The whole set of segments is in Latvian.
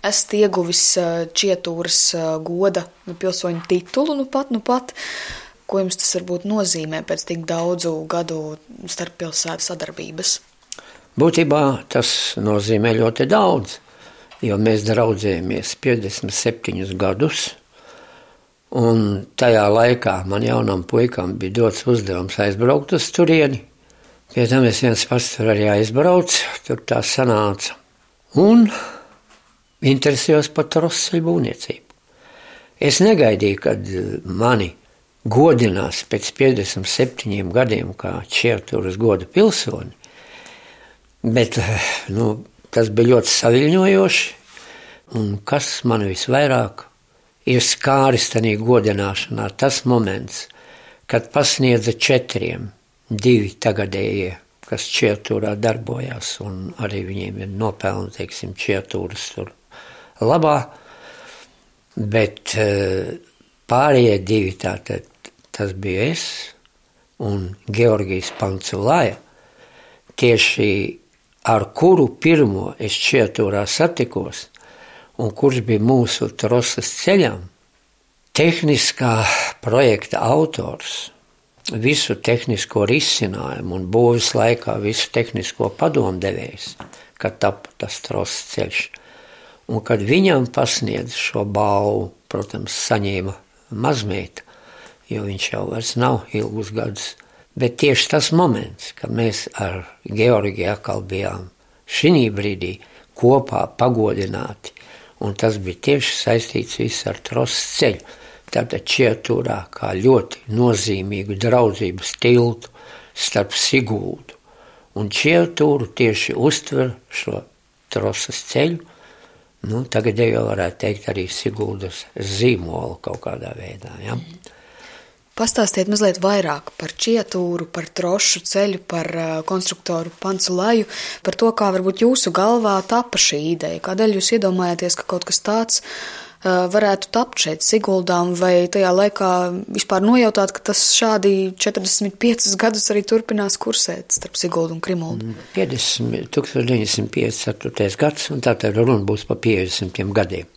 esat ieguvis Čietūras goda pilsoņu titulu nu pat. Ko jums tas varbūt nozīmē pēc tik daudzu gadu starppilsētu sadarbības? Būtībā tas nozīmē ļoti daudz, jo mēs draudzējamies 57 gadus, un tajā laikā man jaunam puikam bija dots uzdevums aizbraukt uz turieni. Pie tam es viens pats tur arī aizbraucu, tur tā sanāca. Un interesējos par trosceļu būvniecību. Es negaidīju, kad mani godinās pēc 57 gadiem kā Čietūras goda pilsoni, bet tas bija ļoti saviļņojoši, un kas man visvairāk ir skāris tajā godināšanā, tas moments, kad pasniedza 4, 2 tagadējie, kas Čietūrā darbojās, un arī viņiem ir nopelni, teiksim, Čietūras tur labā, bet pārējie 2 tātad, tas bija es un Georgijs Panculaja, tieši ar kuru pirmo es Čietūrā satikos, un kurš bija mūsu trosas ceļām, tehniskā projekta autors, visu tehnisko risinājumu un būvis laikā visu tehnisko padomdevējs, kad tapa tas trosas ceļš. Un kad viņam pasniedz šo balvu, protams, saņēma mazmeita, jo viņš jau vairs nav ilgus gadus. Bet tieši tas moments, kad mēs ar Georgiju atkal bijām šī brīdī kopā pagodināti, un tas bija tieši saistīts viss ar trosas ceļu. Tātad Čietūrā kā ļoti nozīmīgu draudzības tiltu starp Siguldu un Čietūru tieši uztver šo trosas ceļu. Tagad jau varētu teikt arī Siguldas zīmolu kaut kādā veidā. Ja? Pastāstiet mazliet vairāk par Čietūru, par trošu ceļu, par konstruktoru Panculaju, par to, kā varbūt jūsu galvā tapa šī ideja. Kādēļ jūs iedomājāties, ka kaut kas tāds varētu tapt šeit Siguldām, vai tajā laikā vispār nojautāt, ka tas šādi 45 gadus arī turpinās kursēt starp Siguldu un Krimuldu? 1954. gads, un tātad runa būs pa 50 gadiem.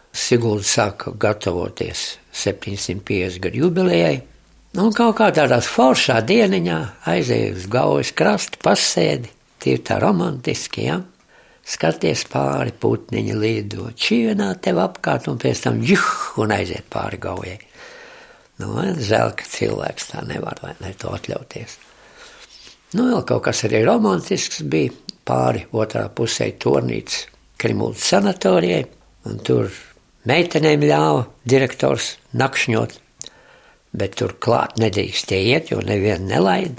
Sigulda sāka gatavoties 750 gadu jubilejai, un kaut kā tādās foršā dieniņā aizēja uz Gaujas krastu, pasēdi, tie tā romantiski, ja? Skaties pāri, putniņi lido, čienā tev apkārt, un pēc tam un aiziet pāri Gaujai. Žēl, ka cilvēks tā nevar, vai ne, to atļauties. Vēl kaut kas arī romantisks bija, pāri otrā pusē Tornītes Krimuldas sanatorijai, un tur meitenēm ļāva direktors nakšņot, bet tur klāt nedrīkstēja iet, jo nevienu nelaida,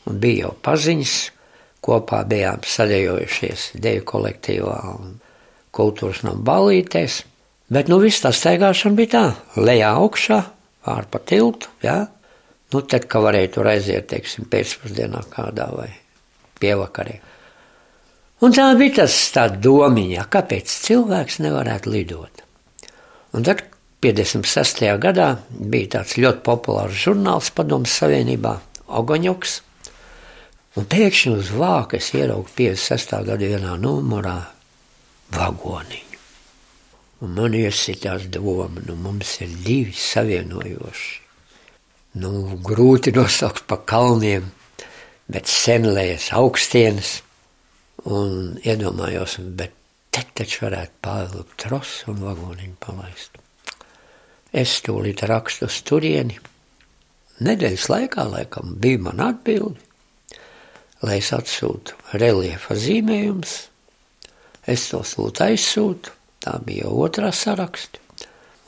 un bija jau paziņas. Kopā bijām sadejojušies deju kolektīvā un kultūras nama ballītēs. Bet viss tā staigāšana bija tā, lejā augšā, pār pa tiltu, jā. Tad, ka varēja tur aiziet, teiksim, pēcpusdienā kādā vai pievakarē. Un tā bija tā domiņa, kāpēc cilvēks nevarētu lidot. Un tad 56. gadā bija tāds ļoti populārs žurnāls Padomes Savienībā, Ogoņuks. Un pēkšņi uz vāka es ieraugu 56. gada vienā numurā vagoniņu. Un man iesitās doma, mums ir 2 savienojoši. Grūti nosaukt pa kalniem, bet senlējas augstienes. Un iedomājos, bet te taču varētu pārvilkt trosu un vagoniņu palaist. Es tūlīt rakstu uz turieni. Nedēļas laikā, laikam, bija man atbildi. Lai es atsūtu reliefa zīmējumus, es tos lūdzu aizsūtu, tā bija jau otrā saraksta,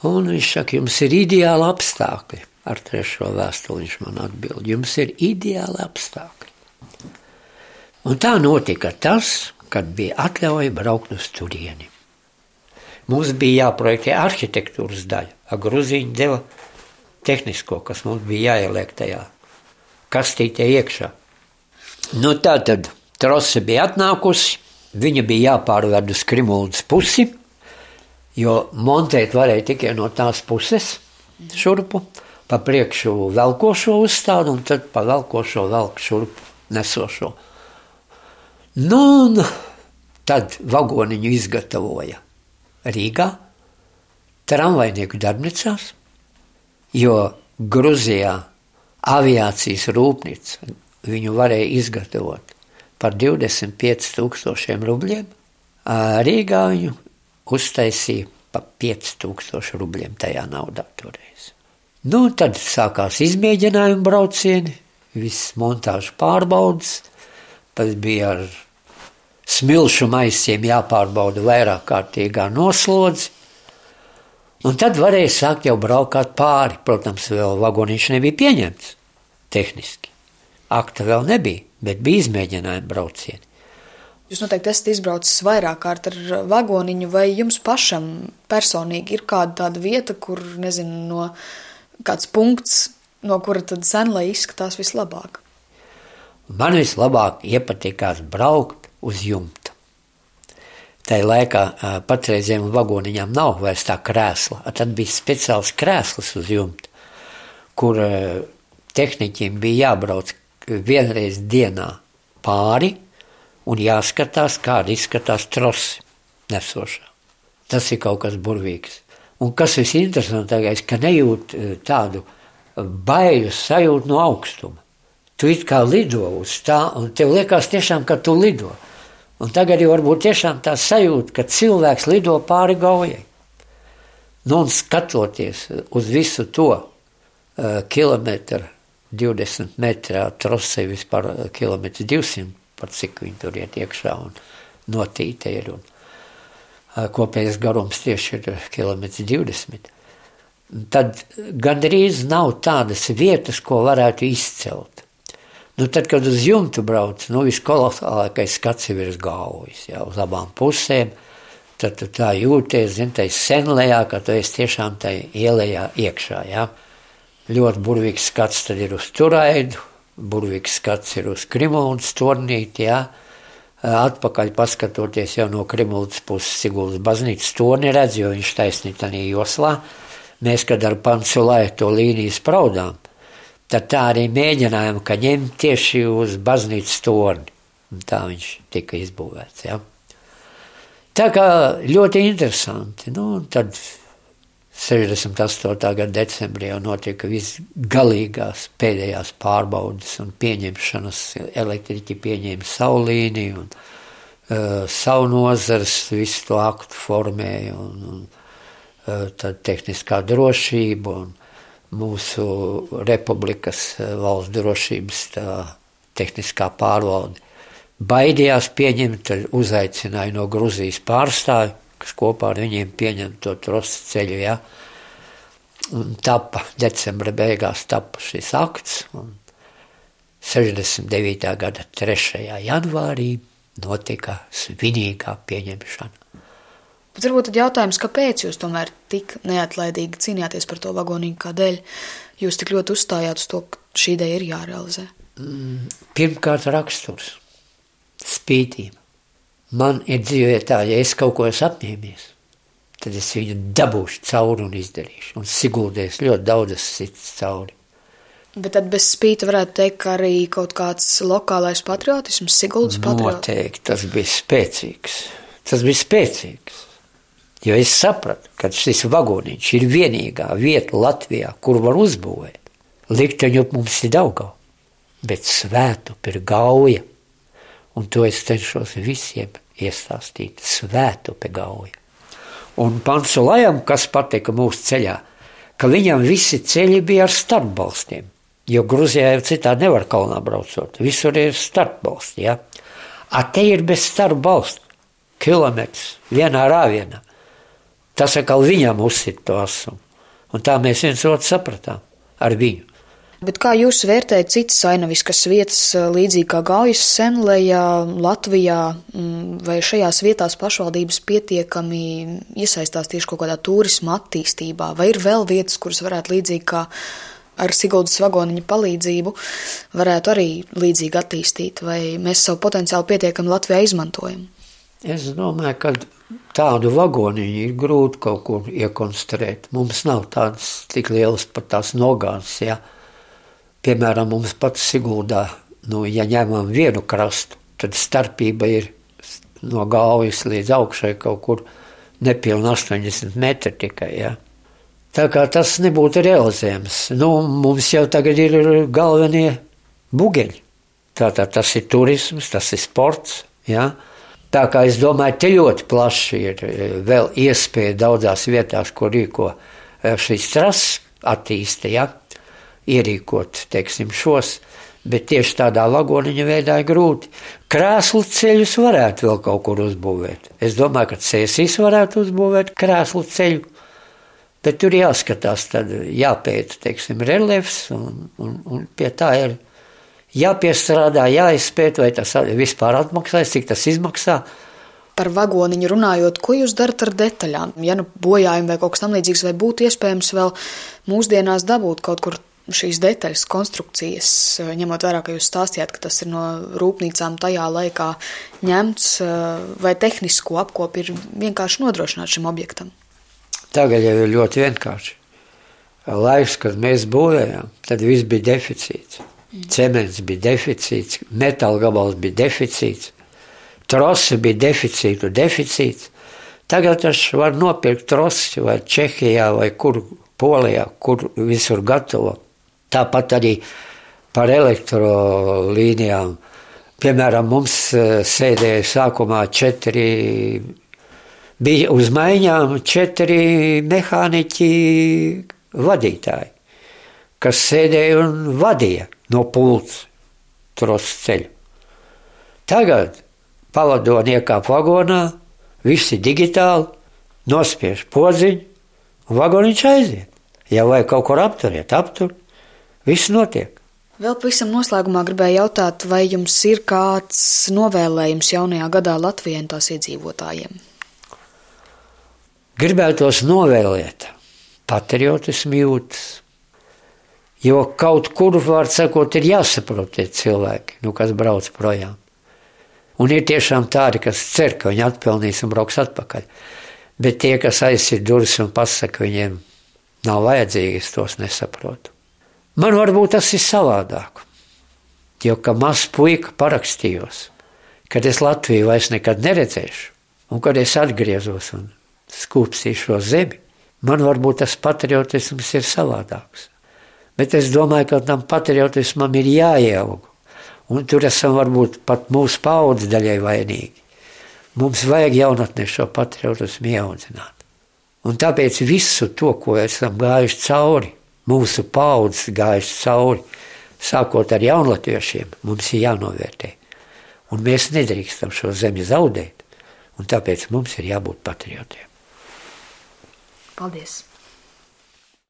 un viņš saka, jums ir ideāli apstākļi, ar 3. vēstuli viņš man atbild, jums ir ideāli apstākļi. Un tā notika tas, kad bija atļauja braukt uz turieni. Mums bija jāprojektē arhitektūras daļa, Gruzīņi deva tehnisko, kas mums bija jāieliek tajā kastītē iekšā. Tātad trose bija atnākusi, viņa bija jāpārved uz Krimuldas pusi, jo montēt varēja tikai no tās puses šurpu, pa priekšu velkošo uzstādu un tad pa velkošo velku šurpu nesošo. Un tad vagoniņu izgatavoja Rīgā, tramvajnieku darbnīcās, jo Gruzijā aviācijas rūpnīca viņu varēja izgatavot par 25,000 rubļiem, Rīgā viņu uztaisīja par 5,000 rubļiem tajā naudā toreiz. Tad sākās izmēģinājumi braucieni, viss montāžu pārbaudas, pat bija ar smilšu maisiem jāpārbauda vairāk kārtīgā noslodzi, un tad varēja sākt jau braukāt pāri. Protams, vēl vagoniņš nebija pieņemts tehniski. Akta vēl nebija, bet bija izmēģinājumi braucieni. Jūs noteikti esat izbraucis vairāk kārt ar vagoniņu, vai jums pašam personīgi ir kāda tāda vieta, kur, nezinu, kāds punkts, no kura tad Senlai izskatās vislabāk? Man vislabāk iepatikās braukt uz jumta. Tai laikā patreizējiem vagoniņām nav vairs tā krēsla. Tad bija speciāls krēsls uz jumta, kur tehniķiem bija jābrauc vienreiz dienā pāri un jāskatās, kāda izskatās trosi nesošā. Tas ir kaut kas burvīgs. Un kas visinteresantākais, ka nejūt tādu baiļu sajūtu no augstuma. Tu it kā lido uz tā, un tev liekas tiešām, ka tu lido. Un tagad jau varbūt tiešām tā sajūta, ka cilvēks lido pāri Gaujai. Un skatoties uz visu to kilometru, 20 metrā trosei vispār kilometrs 200, par cik viņi tur iet iekšā un notīte ir. Un kopējais garums tieši ir kilometrs 20. Tad gandrīz nav tādas vietas, ko varētu izcelt. Tad, kad uz jumtu brauc, viskolosālākais skats ir virs Gaujas, uz abām pusēm, tad tu tā jūties, tai Senlejā, ka tu esi tiešām tai ielejā iekšā, Ļoti burvīgs skats tad ir uz Turaidu, burvīgs skats ir uz Krimuldas tornīti, Atpakaļ paskatoties jau no Krimuldas puses Siguldas baznīcas torni redz, jo viņš taisnīt tādā joslā. Mēs, kad ar Panculaju to līniju spraudām, tad tā arī mēģinājām, ka ņemt tieši uz baznīcas torni. Un tā viņš tika izbūvēts, Tā kā ļoti interesanti. Tad 68. gada decembrī jau notika visgalīgās pēdējās pārbaudes un pieņemšanas. Elektriķi pieņēma savu līniju un savu nozars visu to aktu formēja un tad tehniskā drošība un mūsu republikas valsts drošības tā tehniskā pārvalde baidījās pieņemt, tad uzaicināja no Gruzijas pārstāvi, kas kopā ar viņiem pieņem to trosu ceļu, Un decembra beigās tapa šis akts, un 69. gada 3. janvārī notika svinīgā pieņemšana. Bet varbūt tad jautājums, kāpēc jūs tomēr tik neatlaidīgi cīnījāties par to vagonīgu, kādēļ jūs tik ļoti uzstājāt uz to, ka šī ideja ir jārealizē? Pirmkārt raksturs, spītība. Man ir dzīvē tā, ja es kaut ko esmu apņēmies, tad es viņu dabūšu cauri un izdarīšu. Un Siguldēs ļoti daudzas cits cauri. Bet tad bez spīta varētu teikt, ka arī kaut kāds lokālais patriotisms, Siguldas patriotisms? Noteikti, tas bija spēcīgs. Tas bija spēcīgs. Jo es sapratu, ka šis vagoniņš ir vienīgā vieta Latvijā, kur var uzbūvēt. Likteņu mums ir Daugava, bet Svētupe ir Gauja. Un to es cenšos visiem iestāstīt. Svētupe Gauja. Un Panculajam, kas patika mūsu ceļā, ka viņam visi ceļi bija ar starpbalstiem. Jo Gruzijā jau citādi nevar kalnā braucot. Visur ir starpbalsti, A te ir bez starpbalstu. Kilometrs vienā rāvienā. Tas atkal viņam uzsit to asumu. Un tā mēs viens otru sapratām ar viņu. Bet kā jūs vērtējat citas ainaviskas vietas, līdzīgi kā Gaujas Senlejā, Latvijā, vai šajās vietās pašvaldības pietiekami iesaistās tieši kaut kādā turisma attīstībā, vai ir vēl vietas, kuras varētu līdzīgi kā ar Siguldas vagoniņa palīdzību varētu arī līdzīgi attīstīt, vai mēs savu potenciālu pietiekami Latvijā izmantojam? Es domāju, ka tādu vagoniņu ir grūti kaut kur iekonstruēt. Mums nav tādas tik lielas pat tās nogāzes, Piemēram, mums pats Siguldā, ja ņemam vienu krastu, tad starpība ir no Gaujas līdz augšai kaut kur nepilni 80 metri tikai, ja. Tā kā tas nebūtu realizējams. Mums jau tagad ir galvenie bugeļi. Tātad tas ir turisms, tas ir sports, ja. Tā kā es domāju, te ļoti plaši ir vēl iespēja daudzās vietās, ko rīko šīs trases attīsta, ja, ierīkot, teiksim, šos, bet tieši tādā vagoniņa veidā ir grūti. Krēslu ceļus varētu vēl kaut kur uzbūvēt. Es domāju, ka Cēsīs varētu uzbūvēt krēslu ceļu, bet tur jāskatās, tad jāpēta, teiksim, reliefs, un pie tā ir jāpiestrādā, jāizpēta, vai tas vispār atmaksājas, cik tas izmaksā. Par vagoniņu runājot, ko jūs darat ar detaļām? Ja bojājumi vai kaut kas tam līdzīgs, vai būtu iespējams vēl mūsdienās dabūt kaut kur šīs detaļas, konstrukcijas, ņemot vērā, ka jūs stāstījāt, ka tas ir no rūpnīcām tajā laikā ņemts, vai tehnisko apkopi ir vienkārši nodrošināt šim objektam? Tagad jau ir ļoti vienkārši. Laiks, kad mēs būvējām, tad viss bija deficīts. Cements bija deficīts, metāla gabals bija deficīts, trosi bija deficīts. Tagad tas var nopirkt trosi vai Čehijā vai kur Polijā, kur visur gatavo. Tāpat arī par elektrolīnijām. Piemēram, mums sēdēja sākumā 4, bija uz maiņām 4 mehāniķi vadītāji, kas sēdēja un vadīja no pults trosu ceļu. Tagad pavadoni iekāp vagonā, visi digitāli, nospiež podziņu, un vagoniņš aiziet. Ja vajag kaut kur aptur, viss notiek. Vēl pavisam noslēgumā gribēju jautāt, vai jums ir kāds novēlējums jaunajā gadā Latvijai un tās iedzīvotājiem? Gribētos novēlēt patriotismu jūtas, jo kaut kur, var sakot, ir jāsaprot tie cilvēki, kas brauc projām. Un ir tiešām tādi, kas cer, ka viņi atpelnīs un brauks atpakaļ. Bet tie, kas aizsit durvis un pasaka, viņiem nav vajadzīgi, es tos nesaprotu. Man varbūt tas ir savādāk, jo, ka mazs puika parakstījos, kad es Latviju vairs nekad neredzēšu, un kad es atgriezos un skūpstīšu šo zemi, man varbūt tas patriotisms ir savādāks. Bet es domāju, ka tam patriotismam ir jāieaug, un tur esam varbūt pat mūsu paudzi daļai vainīgi. Mums vajag jaunatnē šo patriotismu ieaudzināt. Un tāpēc visu to, ko esam gājuši cauri, mūsu paudzes gājuši cauri, sākot ar jaunlatviešiem, mums ir jānovērtē. Un mēs nedrīkstam šo zemi zaudēt, un tāpēc mums ir jābūt patriotiem. Paldies!